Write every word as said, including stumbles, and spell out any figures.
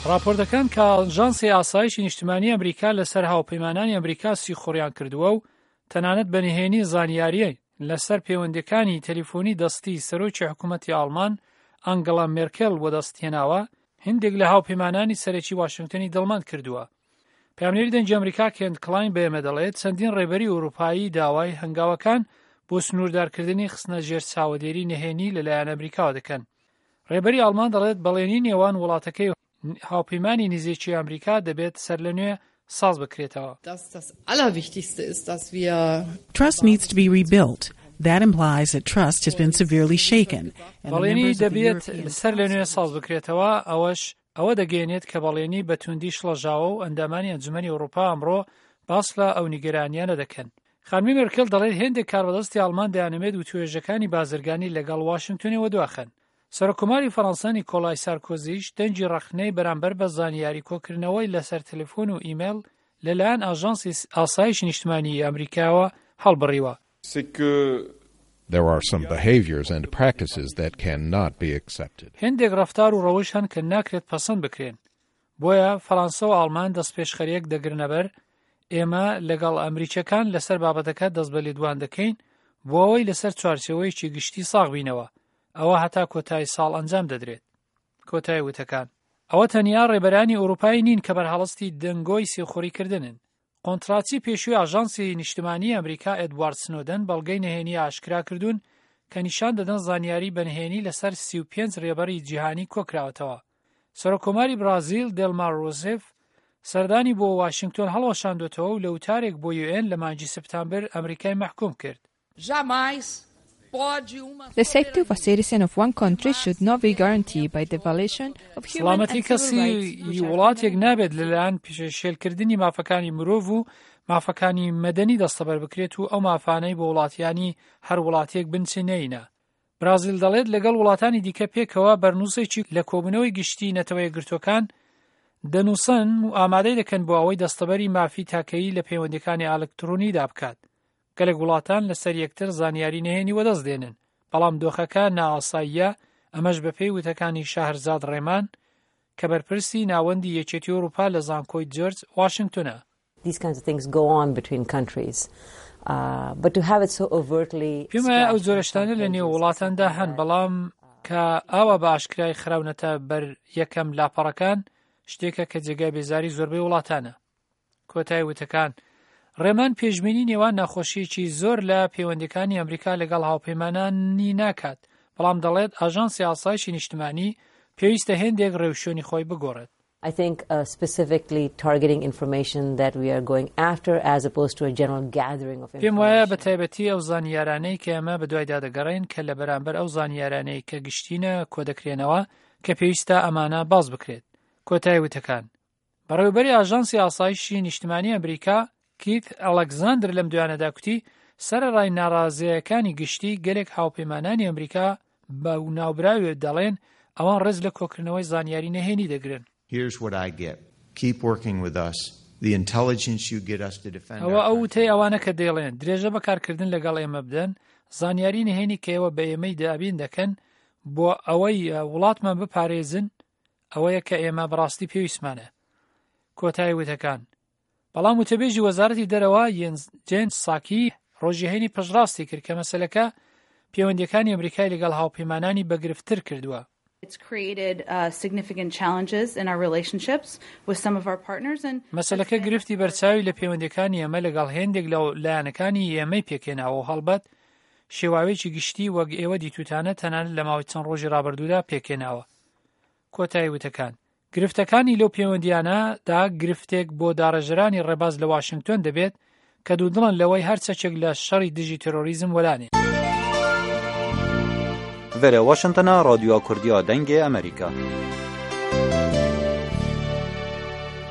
ڕاپۆرتەکان کە ئاژانسی ئاسایشی نیشتمانی ئەمریکا لەسەر هاوپەیمانانی ئەمریکا سیخوڕیان کردووە و تەنانەت بە نهێنی زانیاریی لەسەر پەیوەندیەکانی تەلیفۆنی دەستی سەرۆکی حکوومەتی ئاڵمان ئەنگڵا مێرکێل وەدەست هێناوە، هندێک لە هاوپەیمانانی سەرەکی واشنگتنی دڵمەند کردووە. پەیامنێری دەنگی ئەمریکا کێنت کلاین بە ئێمە دەڵێت چەندین ڕێبەری ئەوروپایی داوای هەنگاوەکان بۆ سنووردارکردنی خستنە ژێر چاوەدێری نهێنی لەلایەن ئەمریکاوە دەکەن. ڕێبەری ئاڵمان دەڵێت بەڵێنی نێوان وڵاتەکەی هاوپەیمانی نزیکی ئەمریکا دەبێت سەر لە نوێ ساز بکرێتەوە. Trust needs to be rebuilt. That implies that trust has been severely shaken. بەڵێنی دەبێت سەر لە نوێ ساز بکرێتەوە، ئەوەش ئەوە دەگەێنێت کە بەڵێنی بە توندی شڵەژاوە و ئەندامانی ئەنجومەنی ئەوروپا ئەمڕۆ باس لە ئەو نیگەرانیانە دەکەن. خانمی مێرکل دەڵێت هێندێک کاربەدەستی ئاڵمان دەیانەوێت وتوێژەکانی بازرگانی لەگەڵ واشنگتۆنی وەدواخەن. سەرۆککۆماری فەڕەنسا نیکۆلای سارکۆزیش دەنگی ڕەخنەی بەرامبەر بە زانیاری کۆکردنەوەی لەسەر تەلەفۆن و ئیمەیل لەلایەن ئاژانسی ئاسایشی نیشتمانی ئەمریکاوە هەڵبڕیوە. There are some behaviors and practices that cannot be accepted. هێندێک ڕەفتار و ڕەوش هەن کە ناکرێت پەسەند بکرێن. بۆیە فەڕەنسا و ئاڵمان دەستپێشخەریەک دەگرنەبەر، ئێمە لەگەڵ ئەمریکیەکان لەسەر بابەتەکە دەست بە لێدوان دەکەین بۆ ئەوەی لەسەر چوارچێوەیەکی گشتی ساغ بینەوە. ئەوە هەتا کۆتایی ساڵ ئەنجام دەدرێت. کۆتایی وتەکان. ئەوە تەنیا ڕێبەرانی ئەوروپایی نین کە بەرهەڵستی دەنگۆی سیخوڕیکردنن. کۆنتراچی پێشووی ئاژانسی نیشتمانی ئەمریکا ئێدوارد سنۆدن بەڵگەی نهێنی ئاشکرا کردوون کە نیشان دەدەن زانیاری بەنهێنی لەسەر سی و پێنج ڕێبەری جیهانی کۆکراوەتەوە. سەرۆککۆماری برازیل دێلما ڕوسێف سەردانی بۆ واشنگتۆن هەڵوەشاندوێتەوە و لە وتارێک بۆ یوئێن لە مانگی سپتامبر ئەمریکای مەحکوم کرد. The safety of a citizen of one country should not be guaranteed by the violation of human سڵامەتی and civil کەسی rights which are وڵاتێک fundamental. نابێت لەلایەن پێشێلکردنی مافەکانی مرۆڤ و مافەکانی مەدەنی دەستەبەر بکرێت و ئەو مافانەی بۆ وڵاتیانی هەر وڵاتێک بنچینەینە. برازیل دەڵێت لەگەڵ وڵاتانی دیکە پێکەوە بەرنووسێکی لە کۆبوونەوەی گشتی نەتەوە یەکگرتووەکان دەنووسن و ئامادەی دەکەن بۆ ئەوەی دەستەبەری مافی تاکەیی لە پەیوەندیەکانی ئەلکترۆنیدا بکات. گەلێک وڵاتان لەسەر یەکتر زانیاری نهێنی وەدەست دێنن، بەڵام دۆخەکە نائاساییە، ئەمەش بەپێی وتەکانی شەهرزاد ڕێمان کە بەرپرسی ناوەندی یەکێتی ئەوروپا لە زانکۆی جۆرج واشنگتونە. These kinds of things go on between countries. Uh, but to have it so overtly پێم وایە ئەو splashed on جۆرە front شتانە لە نێو pages is وڵاتاندا something هەن، that بەڵام کە ئاوا بە ئاشکرای خراونەتە بەر یەکەم لاپەڕەکان شتێکە کە جێگای بێزاری زۆربەی وڵاتانە. کۆتای وتەکان. ڕێمان پێشبینی نێوان ناخۆشیەکی زۆر لە پەیوەندیەکانی ئەمریکا لەگەڵ هاوپەیمانانی ناکات، بەڵام دەڵێت ئاژانسی ئاسایشی نیشتمانی پێویستە هێندێک ڕێوشوێنی خۆی بگۆڕێت. I think uh, specifically targeting information that we are going after as opposed to a general gathering of پێم وایە بە information. تایبەتی ئەو زانیارانەی کە ئێمە بەدوایدا دەگەڕێن کە لە بەرامبەر ئەو زانیارانەی کە گشتینە کۆدەکرێنەوە کە پێویستە ئەمانە باز بکرێت. کۆتای وتەکان. بەڕێوەبەری ئاژانسی ئاسایشی نیشتمانی ئەمریکا کیت ئەلکزاندر لەم دوایانەدا کوتی سەرەڕای ناڕازیەکانی گشتی گەلێک هاوپەیمانانی ئەمریکا بە ناوبراوێ دەڵێن ئەوان ڕێز لە کۆکردنەوەی زانیاری نهێنی دەگرن. Here's what I get. Keep working with us. The intelligence you get us to defend ئەوە our ئەو وتەی country. ئەوانە کە دەیڵێن درێژە بەکارکردن لەگەڵ ئێمە بدەن، زانیاری نهێنی کە ئێوە بە ئێمەی دابین دەکەن بۆ ئەوەی وڵاتمان بپارێزن، ئەوەیە کە ئێمە بەڕاستی پێویستمانە. کۆتایی وتەکان. بەڵام وتەبێژی وەزارەتی دەرەوە جێن ساکی ڕۆژی هەینی پشتڕاستی کرد کە مەسەلەکە پەیوەندیەکانی ئەمریکای لەگەڵ هاوپەیمانانی بەگرفتر کردووە. It's created uh, significant challenges in our relationships with some of our partners and مەسەلەکە گرفتی بەرچاوی لە پەیوەندیەکانی ئێمە لەگەڵ هێندێک لە لایەنەکانی ئێمەی پێکهێناوە و هەڵبەت شێواوێکی گشتی وەک ئێوە دیتوتانە تەنانەت لە ماوەی چەند ڕۆژی ڕابردوودا پێکهێناوە. کۆتایی وتەکان. گرفتەکانی لەو پەیوەندیانەدا گرفتێک بۆ داڕێژەرانی ڕێباز لە واشنگتۆن دەبێت کە دوودڵن لەوەی هەر چەکێک لە شەڕی دژی تێرۆریزم وەلانێ. ڤێرە واشنتنا رادیو کوردیا دەنگێ ئەمریکا.